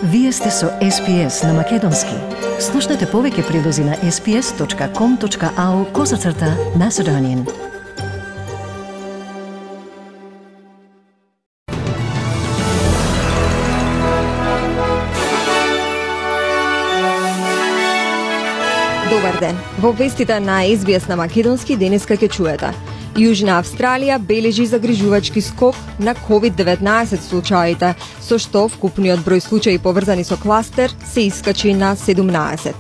Вие сте со SPS на Македонски. Слушнете повеќе прилози на sps.com.au/Macedonian. Добар ден. Во вестите на SBS на Македонски денеска ќе чуете. Јужна Австралија бележи загрижувачки скок на COVID-19 случаите, со што вкупниот број случаи поврзани со кластер се искачи на 17.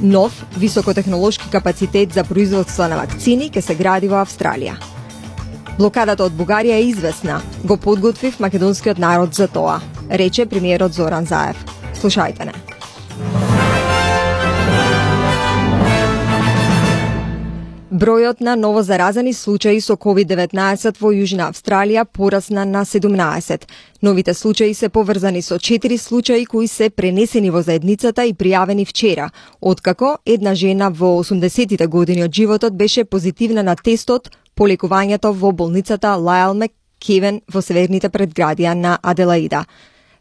Нов високотехнолошки капацитет за производство на вакцини ќе се гради во Австралија. Блокадата од Бугарија е известна. Го подготвив македонскиот народ за тоа, рече премиерот Зоран Заев. Слушајте не. Бројот на новозаразени случаи со COVID-19 во Јужна Австралија порасна на 17. Новите случаи се поврзани со 4 случаи кои се пренесени во заедницата и пријавени вчера, откако една жена во 80-тите години од животот беше позитивна на тестот по лекувањето во болницата Лајал Маккевен во северните предградија на Аделаида.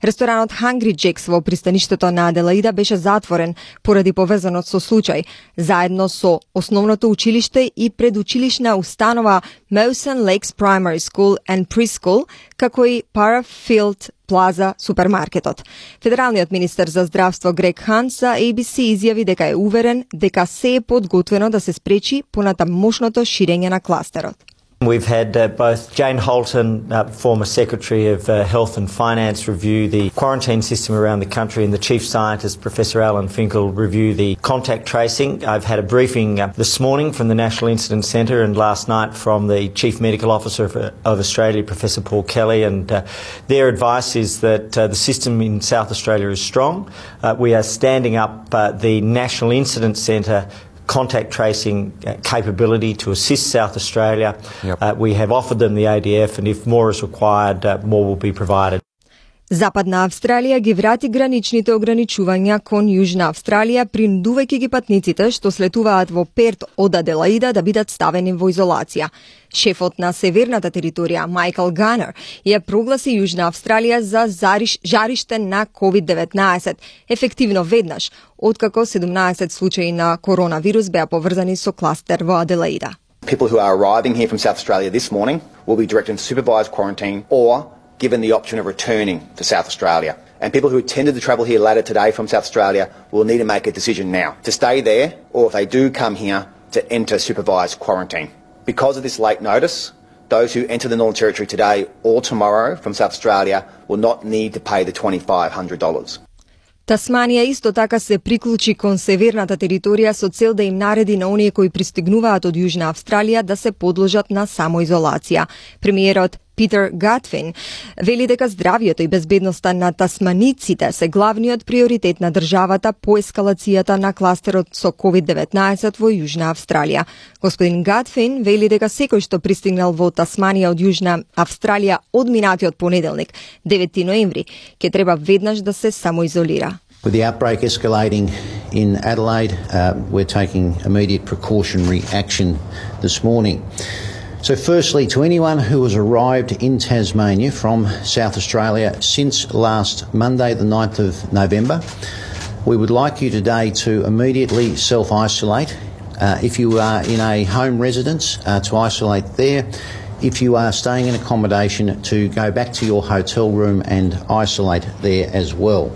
Ресторанот Hungry Jack's во пристаништето на Аделаида беше затворен поради поврзаност со случај, заедно со основното училиште и предучилишна установа Mawson Lakes Primary School and Preschool, како и Parafield Plaza супермаркетот. Федералниот министер за здравство Грег Хант за ABC изјави дека е уверен дека се е подготвено да се спречи понатамошното ширење на кластерот. We've had both Jane Holton, former Secretary of Health and Finance, review the quarantine system around the country, and the Chief Scientist, Professor Alan Finkel, review the contact tracing. I've had a briefing this morning from the National Incident Centre and last night from the Chief Medical Officer of Australia, Professor Paul Kelly, and their advice is that the system in South Australia is strong. We are standing up the National Incident Centre contact tracing capability to assist South Australia. Yep. We have offered them the ADF, and if more is required, more will be provided. Западна Австралија ги врати граничните ограничувања кон Јужна Австралија, принудувајќи ги патниците што слетуваат во Перт од Аделаида да бидат ставени во изолација. Шефот на северната територија, Майкл Ганер, ја прогласи Јужна Австралија за жариште на COVID-19, ефективно веднаш, откако 17 случаи на коронавирус беа поврзани со кластер во Аделаида. People who are arriving here from South Australia this morning will be directed into supervised quarantine or given the option of returning to South Australia. And people who intended to travel here later today from South Australia will need to make a decision now to stay there, or if they do come here, to enter supervised quarantine. Because of this late notice, those who enter the Northern Territory today or tomorrow from South Australia will not need to pay the $2,500. Тасманија исто така се приклучи кон северната територија со цел да им нареди на оние кои пристигнуваат од Јужна Австралија да се подложат на самоизолација. Премиерот Питер Гатфин вели дека здравјето и безбедноста на тасманиците се главниот приоритет на државата по ескалацијата на кластерот со COVID-19 во Јужна Австралија. Господин Гатфин вели дека секој што пристигнал во Тасманија од Јужна Австралија од минатиот понеделник, 9 ноември, ќе треба веднаш да се самоизолира. With the outbreak escalating in Adelaide, we're taking immediate precautionary action this morning. So firstly, to anyone who has arrived in Tasmania from South Australia since last Monday, the 9th of November, we would like you today to immediately self-isolate. If you are in a home residence, to isolate there. If you are staying in accommodation, to go back to your hotel room and isolate there as well.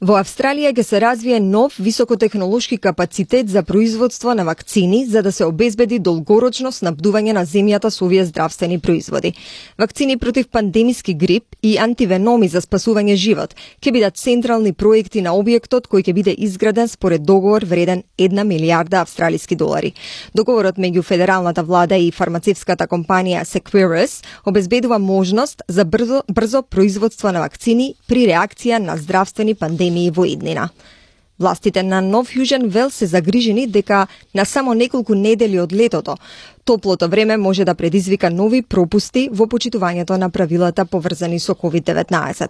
Во Австралија ќе се развие нов високотехнолошки капацитет за производство на вакцини за да се обезбеди долгорочно снабдување на земјата со овие здравствени производи. Вакцини против пандемиски грип и антивеноми за спасување живот ќе бидат централни проекти на објектот кој ќе биде изграден според договор вреден 1 милијарда австралиски долари. Договорот меѓу федералната влада и фармацевската компанија Seqirus обезбедува можност за брзо производство на вакцини при реакција на здравствени пандемии во иднина. Властите на Нов Јужен Велс се загрижени дека на само неколку недели од летото Топлото време може да предизвика нови пропусти во почитувањето на правилата поврзани со COVID-19.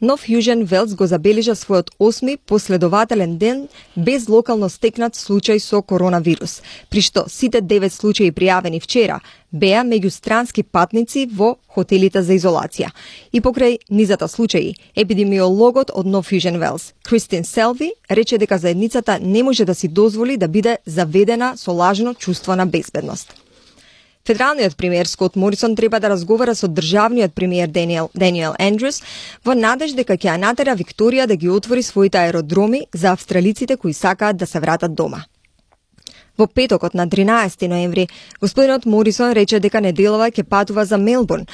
Нов Јужен Велс го забележа својот 8ми последователен ден без локално стекнат случај со коронавирус, при што сите 9 случаи пријавени вчера беа меѓу странски патници во хотелите за изолација. И покрај низата случаи, епидемиологот од Нов Јужен Велс, Кристин Селви, рече дека заедницата не може да си дозволи да биде заведена со лажно чувство на безбедност. Федералниот премиер Скот Морисон треба да разговара со државниот премиер Даниел Ендрюс во надеж дека ќе ја натера Викторија да ги отвори своите аеродроми за австралиците кои сакаат да се вратат дома. Во петокот на 13 ноември, господинот Морисон рече дека неделова ќе патува за Мелбурн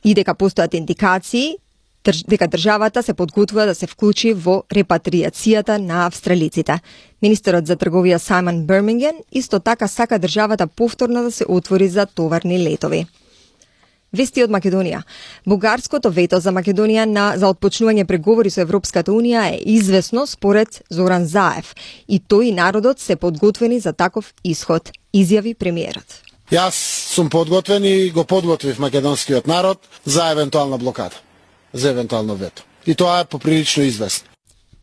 и дека постојат индикации дека државата се подготвува да се вклучи во репатриацијата на австралиците. Министерот за трговија Саймон Бирминген исто така сака државата повторно да се отвори за товарни летови. Вести од Македонија. Бугарското вето за Македонија за отпочнување преговори со Европската Унија е известно според Зоран Заев и тој и народот се подготвени за таков исход, изјави премиерот. Јас сум подготвен и го подготвив македонскиот народ за евентуална блокада, за евентуално вето. И тоа е поприлично известно.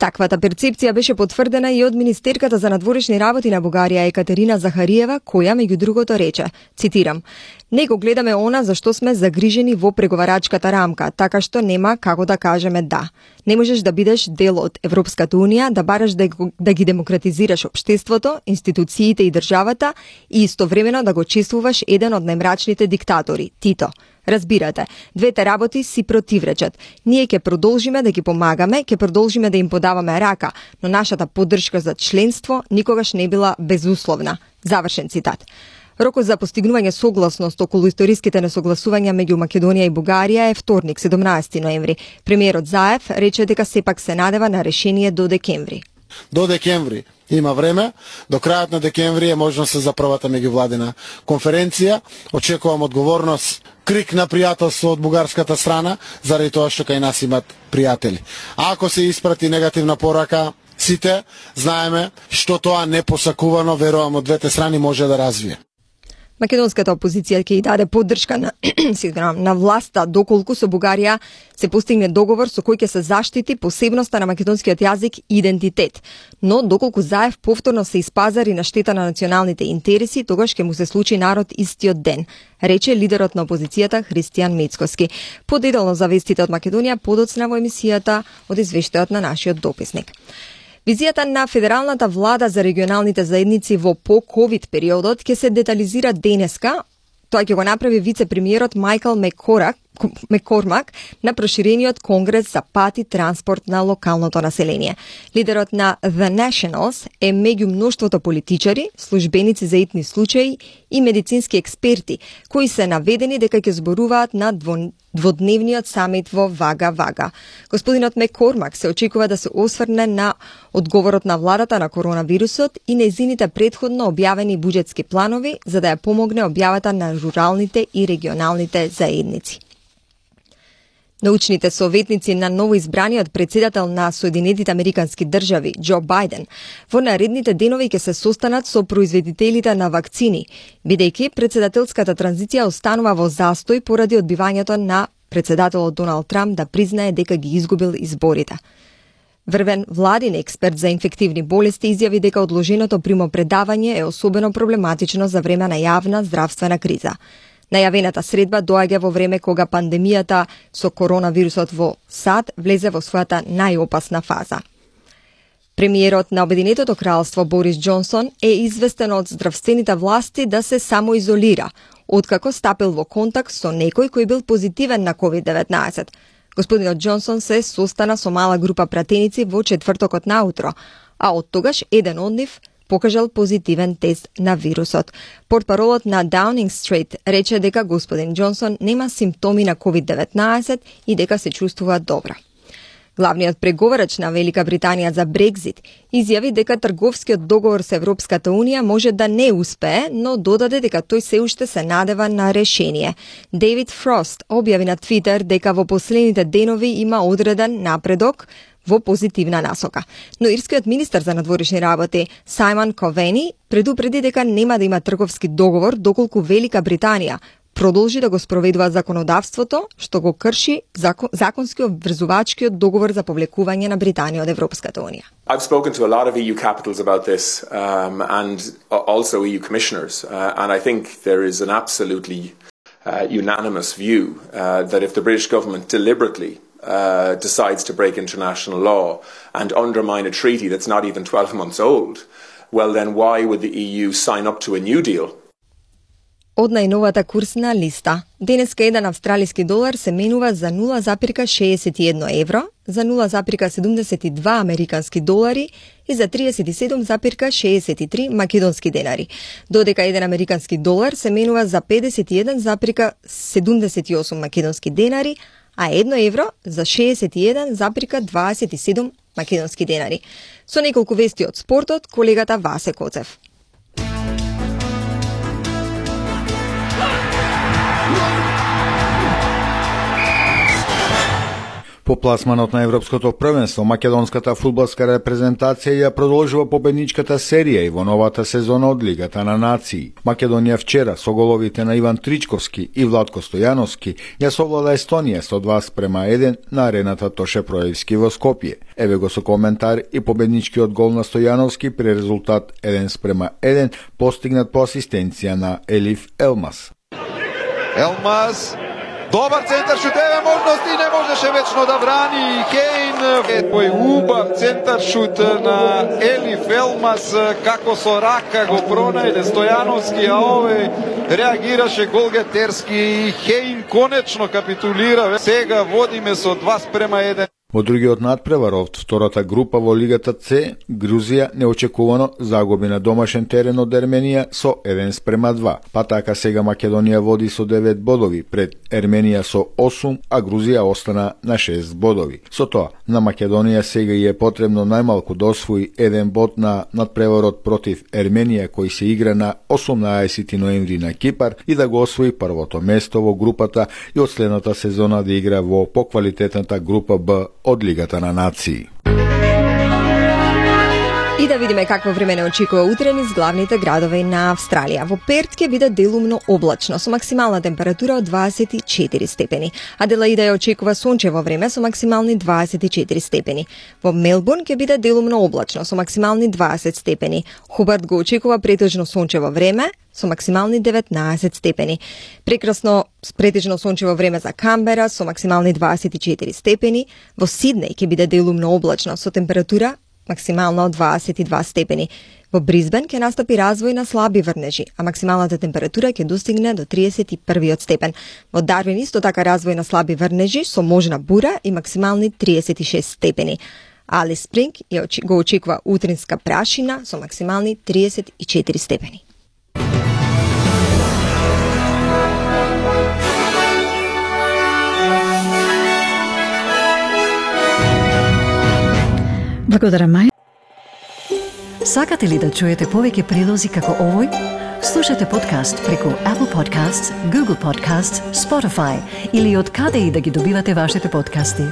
Таквата перцепција беше потврдена и од министерката за надворешни работи на Бугарија Екатерина Захариева, која меѓу другото рече, цитирам: "Не го гледаме она за што сме загрижени во преговарачката рамка, така што нема како да кажеме да. Не можеш да бидеш дел од Европската Унија, да бараш да ги демократизираш општеството, институциите и државата и истовремено да го чествуваш еден од најмрачните диктатори, Тито. Разбирате, двете работи си противречат. Ние ќе продолжиме да ги помагаме, ќе продолжиме да им подаваме рака, но нашата поддршка за членство никогаш не била безусловна." Завршен цитат. Рокот за постигнување согласност околу историските несогласувања меѓу Македонија и Бугарија е вторник, 17 ноември. Премиерот Заев рече дека сепак се надева на решение до декември. До декември има време, до крајот на декември е можност за првата меѓувладина конференција. Очекувам одговорност, крик на пријателство од бугарската страна, заради тоа што кај нас имат пријатели. А ако се испрати негативна порака, сите знаеме што тоа непосакувано, верувам, од двете страни може да развие. Македонската опозиција ќе и даде поддршка на власта доколку со Бугарија се постигне договор со кој ќе се заштити посебноста на македонскиот јазик и идентитет. Но доколку Заев повторно се испазари на штета на националните интереси, тогаш ќе му се случи народ истиот ден, рече лидерот на опозицијата Христијан Мецковски. Подетално за вестите од Македонија подоцна во емисијата од извештајот на нашиот дописник. Визијата на федералната влада за регионалните заедници во по-ковид периодот ќе се детализира денеска. Тоа ќе го направи вице-премиерот Майкл Маккормак на проширениот конгрес за пат и транспорт на локалното население. Лидерот на The Nationals е меѓу мноштвото политичари, службеници за итни случаи и медицински експерти, кои се наведени дека ќе зборуваат на дводневниот самит во Вага. Господинот Маккормак се очекува да се осврне на одговорот на владата на коронавирусот и нејзините предходно објавени буџетски планови за да ја помогне објавата на руралните и регионалните заедници. Научните советници на новоизбраниот председател на Соединетите Американски држави, Џо Бајден, во наредните денови ќе се состанат со производителите на вакцини, бидејќи председателската транзиција останува во застој поради одбивањето на председателот Доналд Трамп да признае дека ги изгубил изборите. Врвен владин експерт за инфективни болести изјави дека одложеното примопредавање е особено проблематично за време на јавна здравствена криза. Најавената средба доаѓа во време кога пандемијата со коронавирусот во САД влезе во својата најопасна фаза. Премиерот на Обединетото кралство Борис Џонсон е известен од здравствените власти да се самоизолира, откако стапил во контакт со некој кој бил позитивен на COVID-19. Господинот Џонсон се состана со мала група пратеници во четвртокот наутро, а од тогаш еден од нив покажал позитивен тест на вирусот. Портпаролот на Даунинг Стрит рече дека господин Џонсон нема симптоми на COVID-19 и дека се чувствува добро. Главниот преговарач на Велика Британија за Брекзит изјави дека трговскиот договор со Европската Унија може да не успее, но додаде дека тој се уште се надева на решение. Дейвид Фрост објави на Твитер дека во последните денови има одреден напредок во позитивна насока. Но ирскиот министер за надворешни работи Сајмон Ковени предупреди дека нема да има трговски договор доколку Велика Британија продолжи да го спроведува законодавството што го крши законски обврзувачкиот договор за повлекување на Британија од Европската Унија. I've spoken to a lot of EU capitals about this and also EU commissioners and I think there is an absolutely unanimous view that if the British government deliberately decides to break international law and undermine a treaty that's not even 12 months old, well then why would the EU sign up to a new deal? Од најновата курсна листа. Денеска еден австралиски долар се менува за 0,61 евро, за 0,72 американски долари и за 37,63 македонски денари. Додека еден американски долар се менува за 51,78 македонски денари, а 1 евро за 61,27 македонски денари. Со неколку вести од спортот, колегата Васе Коцев. По пласманот на Европското првенство, македонската фудбалска репрезентација ја продолжува победничката серија и во новата сезона од Лигата на нации. Македонија вчера со головите на Иван Тричковски и Владко Стојановски ја совлада Естонија 102:1 на арената Тоше Проевски во Скопје. Еве го со коментар и победничкиот гол на Стојановски при резултат 1:1 постигнат по асистенција на Елиф Елмас. Елмас, добар центар шут, еве можности, не можеше вечно да брани Хейн, тој убав центар шут на Елиф Елмас, како со рака го пронајде Стојановски, а ове реагираше голгетерски и Хейн конечно капитулира. Сега водиме со 2:1. Во другиот надпревар од втората група во Лигата С, Грузија неочекувано загуби на домашен терен од Ерменија со 1:2. Па така сега Македонија води со 9 бодови пред Ерменија со 8, а Грузија остана на 6 бодови. Со тоа, на Македонија сега и е потребно најмалку да освои 1 бод на надпреварот против Ерменија кој се игра на 18 ноември на Кипар и да го освои првото место во групата и од следната сезона да игра во поквалитетната група Б од Лигата на нации. И да видиме какво време не очекува утре низ главните градови на Австралија. Во Перт ќе биде делумно облачно со максимална температура од 24 степени. Аделаида ја очекува сончево време со максимални 24 степени. Во Мелбурн ќе биде делумно облачно со максимални 20 степени. Хобарт го очекува претежно сончево време со максимални 19 степени. Прекрасно претежно сончево време за Камбера со максимални 24 степени. Во Сиднеј ќе биде делумно облачно со температура максимално 22 степени. Во Бризбен ќе настапи развој на слаби врнежи, а максималната температура ќе достигне до 31 степен. Во Дарвин исто така развој на слаби врнежи со можна бура и максимални 36 степени. Алис Спринг го очекува утринска прашина со максимални 34 степени. Благодарам, Маја. Сакате ли да чуете повеќе прилози како овој? Слушате подкаст преку Apple Podcasts, Google Podcasts, Spotify или од каде и да ги добивате вашите подкасти.